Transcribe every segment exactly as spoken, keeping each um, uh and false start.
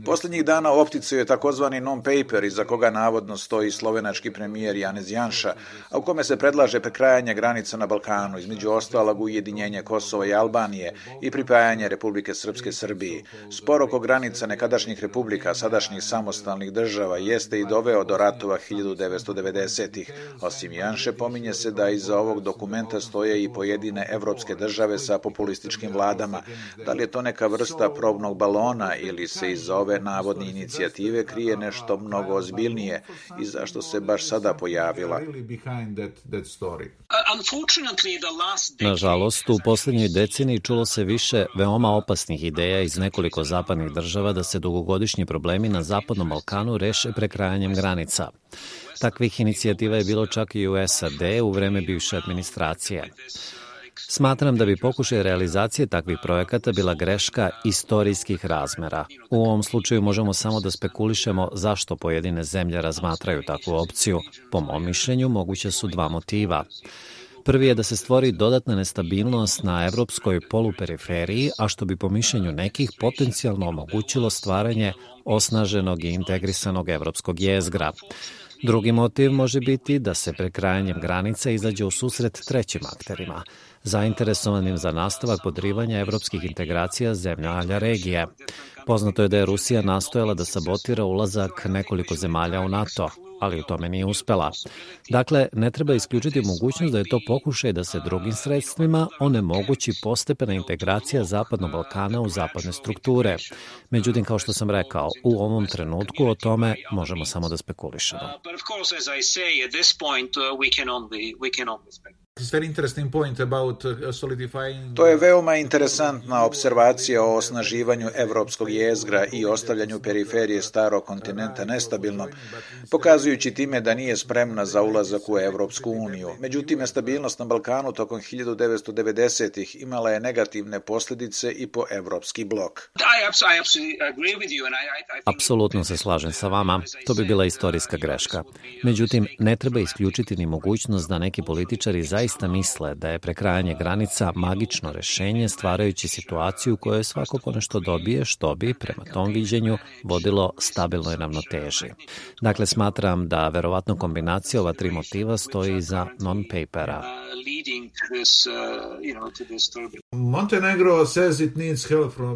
Posljednjih dana u opticaju je takozvani non-paper iza koga navodno stoji slovenački premijer Janez Janša, a u kome se predlaže prekrajanje granica na Balkanu, između ostalog ujedinjenje Kosova i Albanije i pripajanje Republike Srpske Srbiji. Spor oko granica nekadašnjih republika, sadašnjih samostalnih država, jeste i doveo do ratova hiljadu devetsto devedesetih. Osim Janše, pominje se da iza ovog dokumenta stoje i pojedine evropske države sa populističkim vladama. Da li je to neka vrsta probnog balona ili se iz ove navodne inicijative krije nešto mnogo ozbiljnije i zašto se baš sada pojavila? Nažalost, u posljednjoj deceniji čulo se više veoma opasnih ideja iz nekoliko zapadnih država da se dugogodišnji problemi na Zapadnom Balkanu reše prekrajanjem granica. Takvih inicijativa je bilo čak i u S A D u vreme bivše administracije. Smatram da bi pokušaj realizacije takvih projekata bila greška istorijskih razmera. U ovom slučaju možemo samo da spekulišemo zašto pojedine zemlje razmatraju takvu opciju. Po mom mišljenju, moguće su dva motiva. Prvi je da se stvori dodatna nestabilnost na evropskoj poluperiferiji, a što bi po mišljenju nekih potencijalno omogućilo stvaranje osnaženog i integrisanog evropskog jezgra. Drugi motiv može biti da se prekrajanjem granica izađe u susret trećim akterima, zainteresovanim za nastavak podrivanja evropskih integracija zemlja regije. Poznato je da je Rusija nastojala da sabotira ulazak nekoliko zemalja u NATO, ali u tome nije uspela. Dakle, ne treba isključiti mogućnost da je to pokušaj da se drugim sredstvima onemogući postepena integracija Zapadnog Balkana u zapadne strukture. Međutim, kao što sam rekao, u ovom trenutku o tome možemo samo da spekulišemo. To je veoma interesantna observacija o osnaživanju evropskog jezgra i ostavljanju periferije starog kontinenta nestabilnom, pokazujući time da nije spremna za ulazak u Evropsku uniju. Međutim, nestabilnost na Balkanu tokom hiljadu devetsto devedesetih imala je negativne posljedice i po evropski blok. Apsolutno se slažem sa vama. To bi bila istorijska greška. Međutim, ne treba isključiti ni mogućnost da neki političari zaista misle da je prekrajanje granica magično rešenje, stvarajući situaciju u kojoj svako ponešto dobije, što bi, prema tom viđenju, vodilo stabilnoj ravnoteži. Dakle, smatram da verovatno kombinacija ova tri motiva stoji iza non-papera.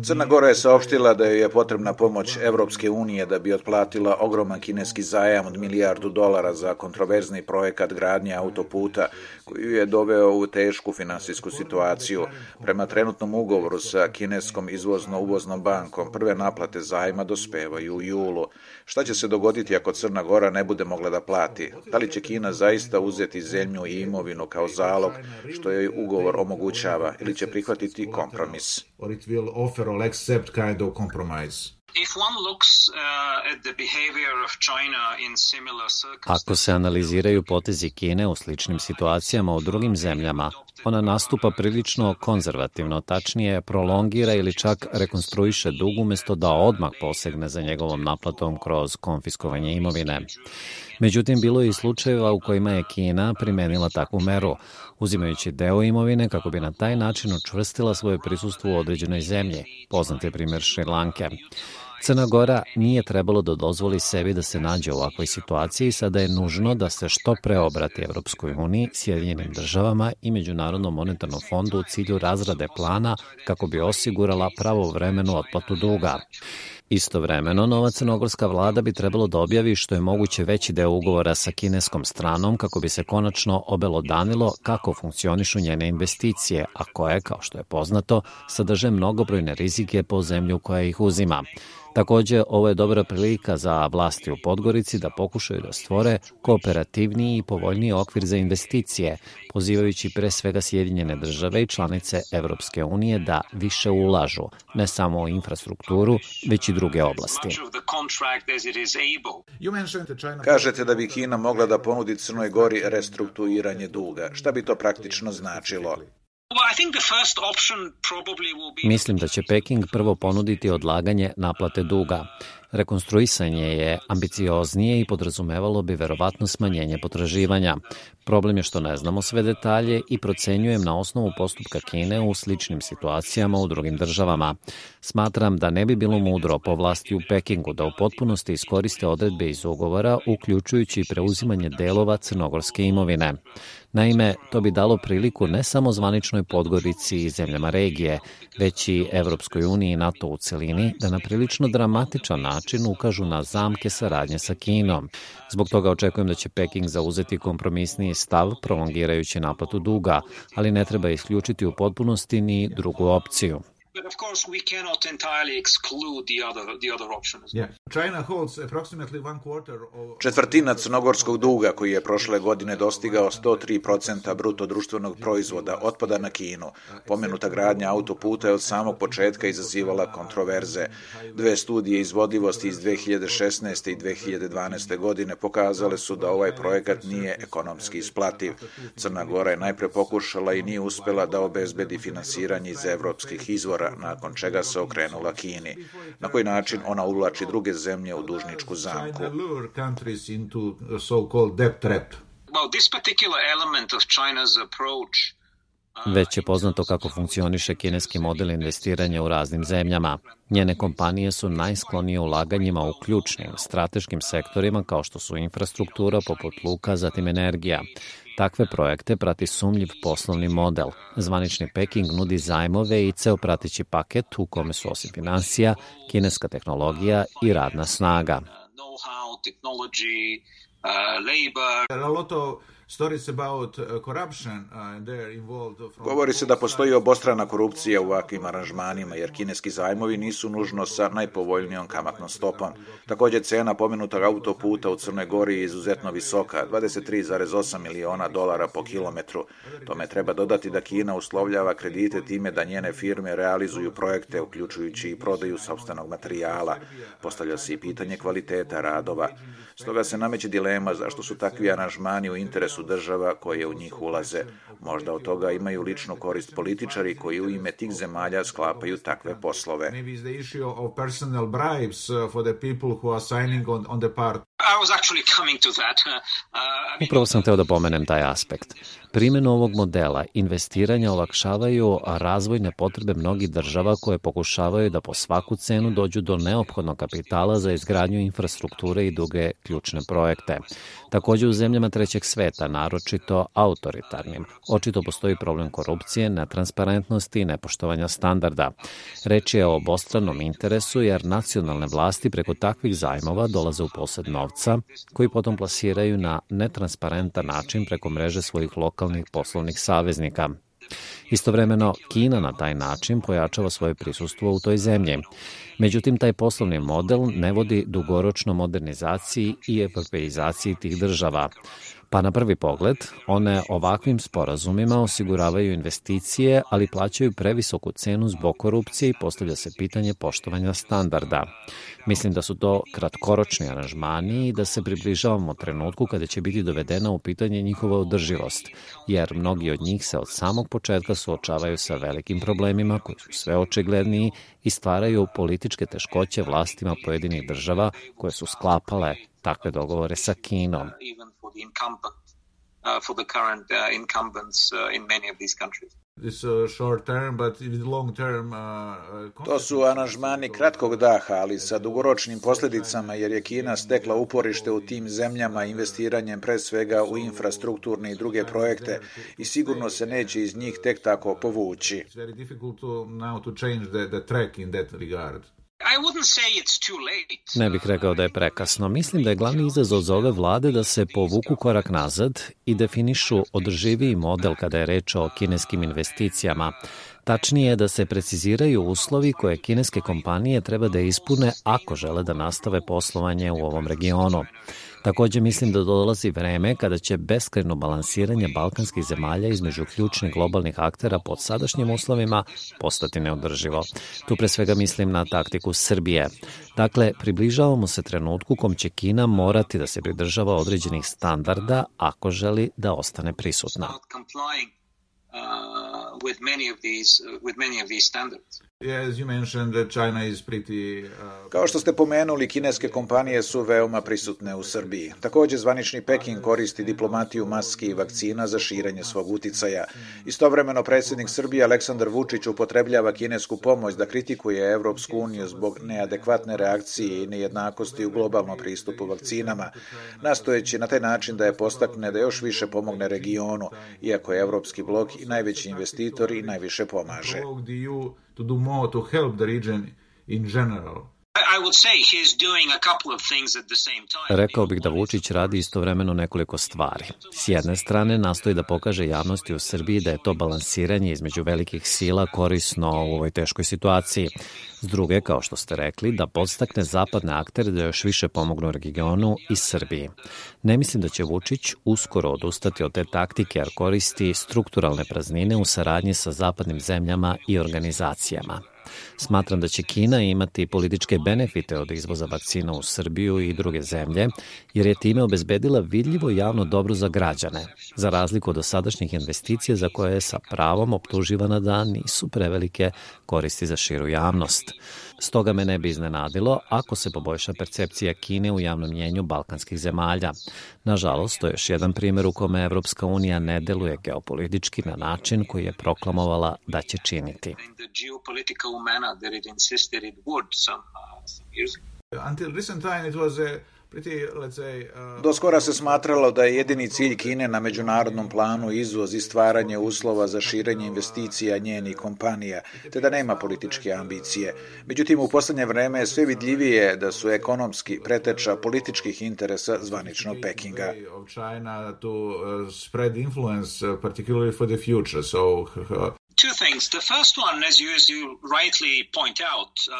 Crna Gora je saopštila da joj je potrebna pomoć Evropske unije da bi otplatila ogroman kineski zajam od milijardu dolara za kontroverzni projekat gradnje autoputa koji je doveo u tešku finansijsku situaciju. Prema trenutnom ugovoru sa kineskom izvozno-uvoznom bankom, prve naplate zajma dospevaju u julu. Šta će se dogoditi ako Crna Gora ne bude mogla da plati? Da li će Kina zaista uzeti zemlju i imovinu kao zalog, što joj ugovor omogućava, ili će prihvatiti kompromis? Ako se analiziraju potezi Kine u sličnim situacijama u drugim zemljama, ona nastupa prilično konzervativno, tačnije prolongira ili čak rekonstruiše dug umjesto da odmah posegne za njegovom naplatom kroz konfiskovanje imovine. Međutim, bilo je i slučajeva u kojima je Kina primenila takvu meru, uzimajući deo imovine kako bi na taj način učvrstila svoje prisustvo u određenoj zemlji. Poznat je primjer Šri Lanke. Crna Gora nije trebalo da dozvoli sebi da se nađe u ovakvoj situaciji, sada je nužno da se što pre obrati Evropskoj uniji, Sjedinjenim državama i Međunarodnom monetarnom fondu u cilju razrade plana kako bi osigurala pravovremenu otplatu duga. Istovremeno, nova crnogorska vlada bi trebalo da objavi što je moguće veći deo ugovora sa kineskom stranom kako bi se konačno obelodanilo kako funkcionišu njene investicije, a koje, kao što je poznato, sadrže mnogobrojne rizike po zemlju koja ih uzima. Također, ovo je dobra prilika za vlasti u Podgorici da pokušaju da stvore kooperativniji i povoljniji okvir za investicije, pozivajući pre svega Sjedinjene države i članice Evropske unije da više ulažu, ne samo u infrastrukturu, već i druge oblasti. Kažete da bi Kina mogla da ponudi Crnoj Gori restrukturiranje duga. Šta bi to praktično značilo? Mislim da će Peking prvo ponuditi odlaganje naplate duga. Rekonstruisanje je ambicioznije i podrazumevalo bi verovatno smanjenje potraživanja. Problem je što ne znamo sve detalje i procenjujem na osnovu postupka Kine u sličnim situacijama u drugim državama. Smatram da ne bi bilo mudro po vlasti u Pekingu da u potpunosti iskoriste odredbe iz ugovora, uključujući i preuzimanje delova crnogorske imovine. Naime, to bi dalo priliku ne samo zvaničnoj Podgorici i zemljama regije, već i Evropskoj uniji i NATO u celini da na prilično dramatičan način ukažu na zamke saradnje sa Kinom. Zbog toga očekujem da će Peking zauzeti kompromisniji stav, prolongirajući naplatu duga, ali ne treba isključiti u potpunosti ni drugu opciju. But of course, we cannot entirely exclude the other the other option as well. Yeah. China holds approximately one quarter of... Četvrtina crnogorskog duga koji je prošle godine dostigao sto tri posto bruto društvenog proizvoda otpada na Kinu. Pomenuta gradnja autoputa je od samog početka izazivala kontroverze. Dve studije izvodljivosti iz dve hiljade šesnaeste i dve hiljade dvanaeste godine pokazale su da ovaj projekat nije ekonomski isplativ. Crna Gora je najpre pokušala i nije uspela da obezbedi finansiranje iz evropskih izvora, nakon čega se okrenula Kini. Na koji način ona uvlači druge zemlje u dužničku zamku. Već je poznato kako funkcioniše kineski model investiranja u raznim zemljama. Njene kompanije su najsklonije ulaganjima u ključnim, strateškim sektorima kao što su infrastruktura poput luka, zatim energija. Takve projekte prati sumnjiv poslovni model. Zvanični Peking nudi zajmove i ceo prateći paket u kome su osim finansija, kineska tehnologija i radna snaga. Govori se da postoji obostrana korupcija u ovakvim aranžmanima, jer kineski zajmovi nisu nužno sa najpovoljnijom kamatnom stopom. Također, cena pomenutog autoputa u Crnoj Gori je izuzetno visoka, dvadeset tri zarez osam miliona dolara po kilometru. Tome treba dodati da Kina uslovljava kredite time da njene firme realizuju projekte, uključujući i prodaju sopstvenog materijala. Postavlja se i pitanje kvaliteta radova. Stoga se nameće dilema zašto su takvi aranžmani u interesu država koje u njih ulaze. Možda od toga imaju ličnu korist političari koji u ime tih zemalja sklapaju takve poslove. Upravo sam hteo da pomenem taj aspekt. Primjenu ovog modela investiranja olakšavaju razvojne potrebe mnogih država koje pokušavaju da po svaku cenu dođu do neophodnog kapitala za izgradnju infrastrukture i druge ključne projekte. Također u zemljama trećeg sveta, naročito autoritarnim, očito postoji problem korupcije, netransparentnosti i nepoštovanja standarda. Reč je o obostranom interesu jer nacionalne vlasti preko takvih zajmova dolaze u posed novca koji potom plasiraju na netransparentan način preko mreže svojih lokalnih poslovnih saveznika. Istovremeno, Kina na taj način pojačava svoje prisustvo u toj zemlji. Međutim, taj poslovni model ne vodi dugoročno modernizaciji i evropeizaciji tih država. Pa na prvi pogled, one ovakvim sporazumima osiguravaju investicije, ali plaćaju previsoku cenu zbog korupcije i postavlja se pitanje poštovanja standarda. Mislim da su to kratkoročni aranžmani i da se približavamo trenutku kada će biti dovedena u pitanje njihova održivost, jer mnogi od njih se od samog početka suočavaju sa velikim problemima koji su sve očigledniji i stvaraju političke teškoće vlastima pojedinih država koje su sklapale takve dogovore sa Kinom. To su aranžmani kratkog daha, ali sa dugoročnim posljedicama, jer je Kina stekla uporište u tim zemljama investiranjem pre svega u infrastrukturne i druge projekte i sigurno se neće iz njih tek tako povući. Ne bih rekao da je prekasno. Mislim da je glavni izazov za ove vlade da se povuku korak nazad i definišu održiviji model kada je reč o kineskim investicijama. Tačnije je da se preciziraju uslovi koje kineske kompanije treba da ispune ako žele da nastave poslovanje u ovom regionu. Također mislim da dolazi vreme kada će beskrajno balansiranje balkanskih zemalja između ključnih globalnih aktera pod sadašnjim uslovima postati neodrživo. Tu pre svega mislim na taktiku Srbije. Dakle, približavamo se trenutku kom će Kina morati da se pridržava određenih standarda ako želi da ostane prisutna. Kao što ste pomenuli, kineske kompanije su veoma prisutne u Srbiji. Također, zvanični Peking koristi diplomatiju maski i vakcina za širenje svog uticaja. Istovremeno, predsjednik Srbije Aleksandar Vučić upotrebljava kinesku pomoć da kritikuje Evropsku uniju zbog neadekvatne reakcije i nejednakosti u globalnom pristupu vakcinama, nastojeći na taj način da je postakne da još više pomogne regionu, iako je Evropski blok i najveći investitor i najviše pomaže. To do more to help the region in general. Rekao bih da Vučić radi istovremeno nekoliko stvari. S jedne strane, nastoji da pokaže javnosti u Srbiji da je to balansiranje između velikih sila korisno u ovoj teškoj situaciji. S druge, kao što ste rekli, da podstakne zapadne aktere da još više pomognu regionu i Srbiji. Ne mislim da će Vučić uskoro odustati od te taktike, jer koristi strukturalne praznine u saradnji sa zapadnim zemljama i organizacijama. Smatram da će Kina imati političke benefite od izvoza vakcina u Srbiju i druge zemlje, jer je time obezbedila vidljivo javno dobro za građane, za razliku od dosadašnjih investicija za koje je sa pravom optuživana da nisu prevelike koristi za širu javnost. Stoga me ne bi iznenadilo ako se poboljša percepcija Kine u javnom mnjenju balkanskih zemalja. Nažalost, to je još jedan primjer u kome Evropska unija ne deluje geopolitički na način koji je proklamovala da će činiti. Until recent time it was a Do skora se smatralo da je jedini cilj Kine na međunarodnom planu izvoz i stvaranje uslova za širenje investicija njenih kompanija, te da nema političke ambicije. Međutim, u poslednje vreme je sve vidljivije da su ekonomski preteča političkih interesa zvaničnog Pekinga.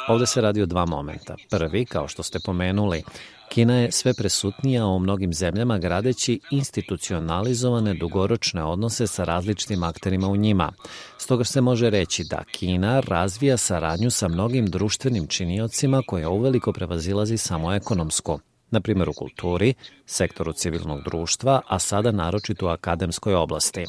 Ovde se radi o dva momenta. Prvi, kao što ste pomenuli, Kina je sve presutnija u mnogim zemljama gradeći institucionalizovane dugoročne odnose sa različitim akterima u njima. Stoga se može reći da Kina razvija saradnju sa mnogim društvenim činiocima koja uveliko prevazilazi samo ekonomsku. Na primjer u kulturi, sektoru civilnog društva, a sada naročito u akademskoj oblasti.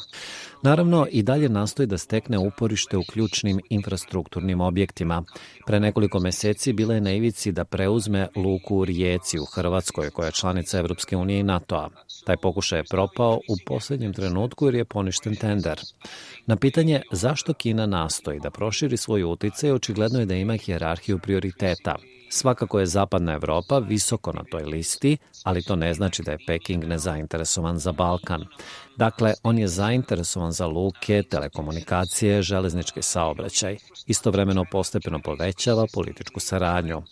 Naravno, i dalje nastoji da stekne uporište u ključnim infrastrukturnim objektima. Pre nekoliko meseci bila je na ivici da preuzme luku u Rijeci u Hrvatskoj, koja je članica Evropske unije i NATO-a. Taj pokušaj je propao u posljednjem trenutku jer je poništen tender. Na pitanje zašto Kina nastoji da proširi svoj uticaj, očigledno je da ima hijerarhiju prioriteta. Svakako je zapadna Evropa visoko na toj listi, ali to ne znači da je Peking nezainteresovan za Balkan. Dakle, on je zainteresovan za luke, telekomunikacije, železnički saobraćaj. Istovremeno postepeno povećava političku saradnju.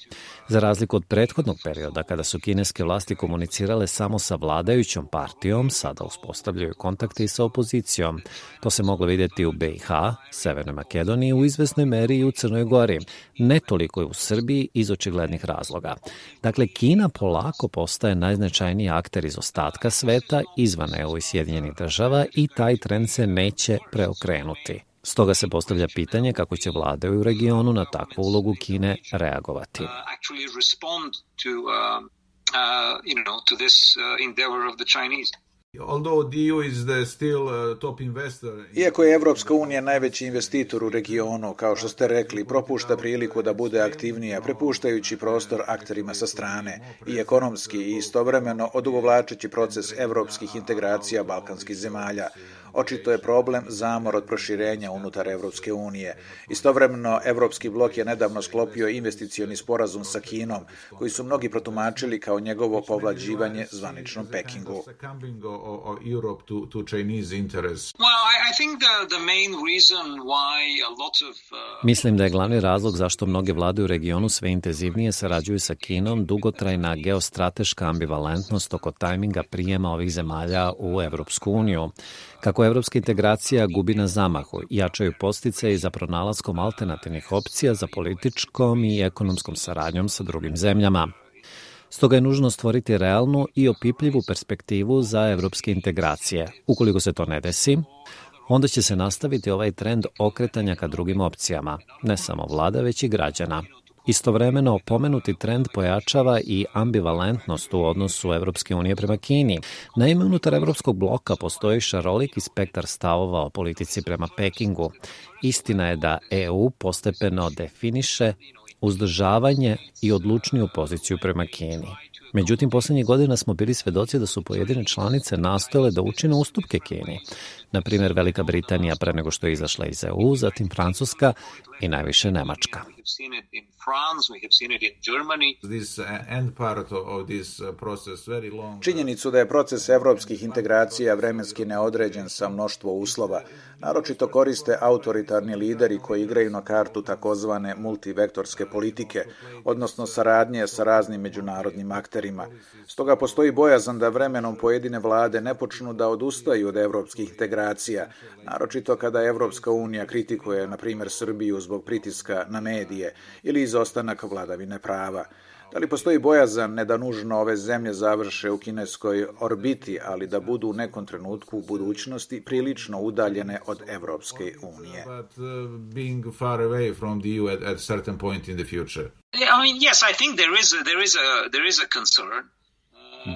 Za razliku od prethodnog perioda, kada su kineske vlasti komunicirale samo sa vladajućom partijom, sada uspostavljaju kontakte i sa opozicijom. To se moglo vidjeti u B i H, Severnoj Makedoniji, u izvesnoj meri i u Crnoj Gori. Ne toliko je u Srbiji iz očiglednih razloga. Dakle, Kina polako postaje najznačajniji akter iz ostatka sveta, izvan E U i Sjedinjenih država, i taj trend se neće preokrenuti. Stoga se postavlja pitanje kako će vlade u regionu na takvu ulogu Kine reagovati. Iako je Evropska unija najveći investitor u regionu, kao što ste rekli, propušta priliku da bude aktivnija, prepuštajući prostor akterima sa strane, i ekonomski i istovremeno odugovlačeći proces evropskih integracija balkanskih zemalja. Očito je problem zamor od proširenja unutar Evropske unije. Istovremeno, Evropski blok je nedavno sklopio investicioni sporazum sa Kinom, koji su mnogi protumačili kao njegovo povlađivanje zvaničnom Pekingu. Mislim da je glavni razlog zašto mnoge vlade u regionu sve intenzivnije sarađuju sa Kinom dugotrajna geostrateška ambivalentnost oko tajminga prijema ovih zemalja u Evropsku uniju. Kako evropska integracija gubi na zamahu, jačaju podsticaji za pronalaskom alternativnih opcija za političkom i ekonomskom saradnjom sa drugim zemljama. Stoga je nužno stvoriti realnu i opipljivu perspektivu za evropske integracije. Ukoliko se to ne desi, onda će se nastaviti ovaj trend okretanja ka drugim opcijama, ne samo vlada, već i građana. Istovremeno, pomenuti trend pojačava i ambivalentnost u odnosu Evropske unije prema Kini. Naime, unutar Evropskog bloka postoji šaroliki spektar stavova o politici prema Pekingu. Istina je da E U postepeno definiše uzdržavanje i odlučniju poziciju prema Kini. Međutim, poslednjih godina smo bili svedoci da su pojedine članice nastojale da učine ustupke Kini. Na primjer, Velika Britanija pre nego što je izašla iz E U, zatim Francuska i najviše Nemačka. Činjenicu da je proces evropskih integracija vremenski neodređen sa mnoštvo uslova, naročito koriste autoritarni lideri koji igraju na kartu takozvane multivektorske politike, odnosno saradnje sa raznim međunarodnim akterima. Stoga postoji bojazan da vremenom pojedine vlade ne počnu da odustaju od evropskih integracija, naročito kada Evropska unija kritikuje, na primjer, Srbiju zbog pritiska na medije ili izostanak vladavine prava. Da li postoji bojazan ne da nužno ove zemlje završe u kineskoj orbiti, ali da budu u nekom trenutku u budućnosti prilično udaljene od Evropske unije?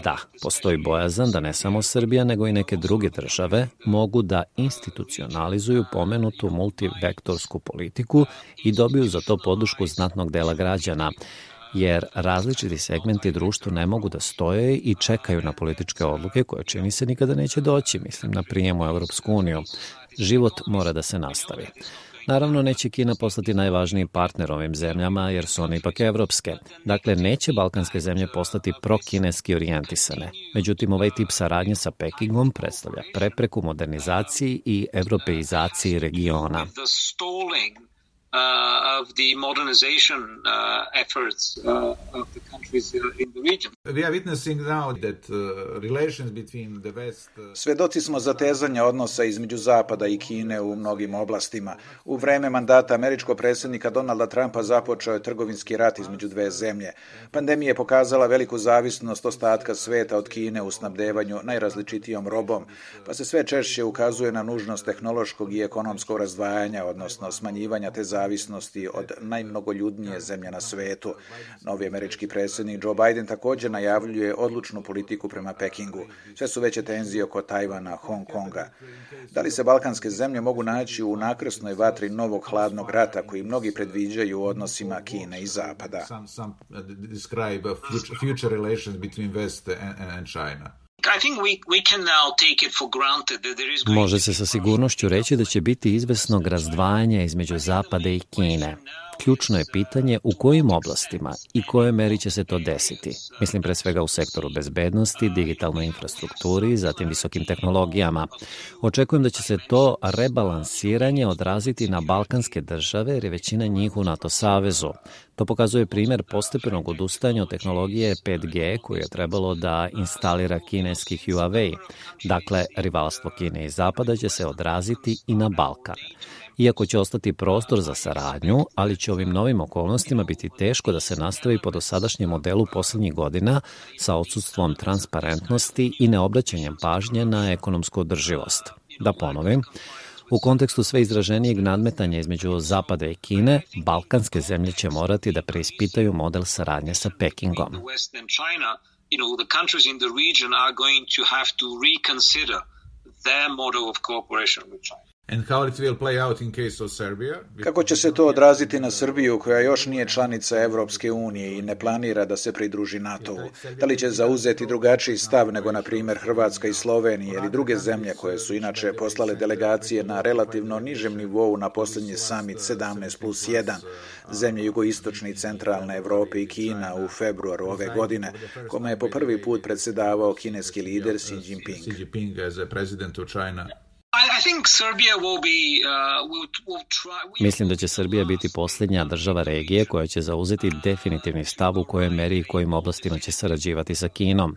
Da, postoji bojazan da ne samo Srbija, nego i neke druge države mogu da institucionalizuju pomenutu multivektorsku politiku i dobiju za to podršku znatnog dela građana, jer različiti segmenti društva ne mogu da stoje i čekaju na političke odluke koje čini se nikada neće doći, mislim na prijem u Evropsku uniju. Život mora da se nastavi. Naravno, neće Kina postati najvažniji partner ovim zemljama, jer su one ipak evropske. Dakle, neće balkanske zemlje postati prokineski orijentisane. Međutim, ovaj tip saradnje sa Pekingom predstavlja prepreku modernizaciji i evropeizaciji regiona. Uh, of the modernization uh, efforts uh, of the countries in the region. We are witnessing now that uh, relations between the West... Uh... Svedoci smo zatezanja odnosa između Zapada i Kine u mnogim oblastima. U vreme mandata američkog predsjednika Donalda Trumpa započeo je trgovinski rat između dve zemlje. Pandemija je pokazala veliku zavisnost ostatka sveta od Kine u snabdevanju najrazličitijom robom, pa se sve češće ukazuje na nužnost tehnološkog i ekonomskog razdvajanja, odnosno smanjivanja te zavisnosti od najmnogoljudnije zemlje na svetu. Novi američki predsjednik Joe Biden također najavljuje odlučnu politiku prema Pekingu. Sve su veće tenzije oko Tajvana, Hong Konga. Da li se balkanske zemlje mogu naći u nakrsnoj vatri novog hladnog rata koji mnogi predviđaju u odnosima Kine i Zapada? Može se sa sigurnošću reći da će biti izvesnog razdvajanja između Zapada i Kine. Ključno je pitanje u kojim oblastima i kojoj meri će se to desiti. Mislim pre svega u sektoru bezbednosti, digitalnoj infrastrukturi, zatim visokim tehnologijama. Očekujem da će se to rebalansiranje odraziti na balkanske države jer je većina njih u NATO savezu. To pokazuje primjer postepenog odustajanja od tehnologije pet G koju je trebalo da instalira kineski Huawei. Dakle, rivalstvo Kine i Zapada će se odraziti i na Balkan. Iako će ostati prostor za saradnju, ali će ovim novim okolnostima biti teško da se nastavi po dosadašnjem modelu poslednjih godina sa odsustvom transparentnosti i neobraćanjem pažnje na ekonomsku održivost. Da ponovim, u kontekstu sve izraženijeg nadmetanja između Zapada i Kine, balkanske zemlje će morati da preispitaju model saradnje sa Pekingom. Kako će se to odraziti na Srbiju koja još nije članica Evropske unije i ne planira da se pridruži NATO-u? Da li će zauzeti drugačiji stav nego, na primjer, Hrvatska i Slovenija ili druge zemlje koje su inače poslale delegacije na relativno nižem nivou na posljednji summit sedamnaest plus jedan, zemlje jugoistočne i centralne Evrope i Kina u februaru ove godine, kome je po prvi put predsjedavao kineski lider Xi Jinping? Mislim da će Srbija biti posljednja država regije koja će zauzeti definitivni stav u kojoj meri i kojim oblastima će sarađivati sa Kinom.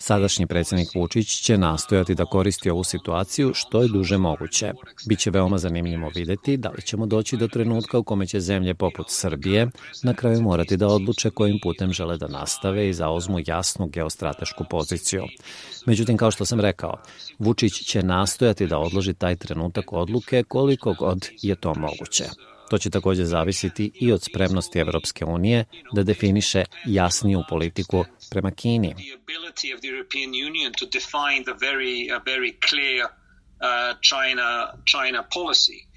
Sadašnji predsjednik Vučić će nastojati da koristi ovu situaciju što je duže moguće. Biće veoma zanimljivo videti da li ćemo doći do trenutka u kome će zemlje poput Srbije na kraju morati da odluče kojim putem žele da nastave i zauzmu jasnu geostratešku poziciju. Međutim, kao što sam rekao, Vučić će nastojati da odloži taj trenutak odluke koliko god je to moguće. To će takođe zavisiti i od spremnosti Evropske unije da definiše jasniju politiku prema Kini. China, China policy.